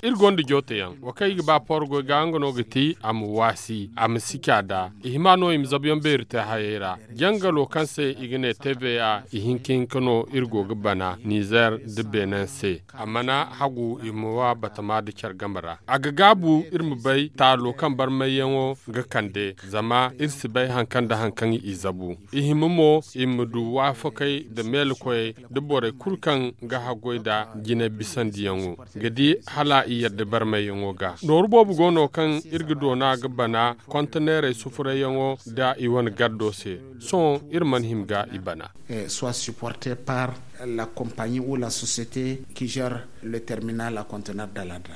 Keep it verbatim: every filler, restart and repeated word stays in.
Iri gonda joote yaŋ wo kaŋ i ga ba porgoy ga nga no ga ti a ma waasi a ma si caada i hima no i ma zabuyaŋ beeri te hayey ra. Jangalo kaŋ se i ga ne tva, i hinka hinka no iri go ga bana nizer nda benin se. A mana hagu i ma wa batama nda care game ra. A ga gaabu iri ma bay taalo kaŋ barmayyaŋo ga kande zama iri si bay hari kaŋ nda hari kaŋ i zabu. I hima mo i ma du waafakey nda meelakoyey nda borey kulu kaŋ ga haggoy nda jinay bisandiyaŋo ga di hala i yadda barmayyaŋo ga. Nooru boobo go no kaŋ iri ga doona ga bana konteneerey sufurayyaŋo nda i wane gardo se. Sohõ iri mana hima ga i bana. Soit supporte par la compagnie ou la société qui gère le terminal à conteneur de l'adra.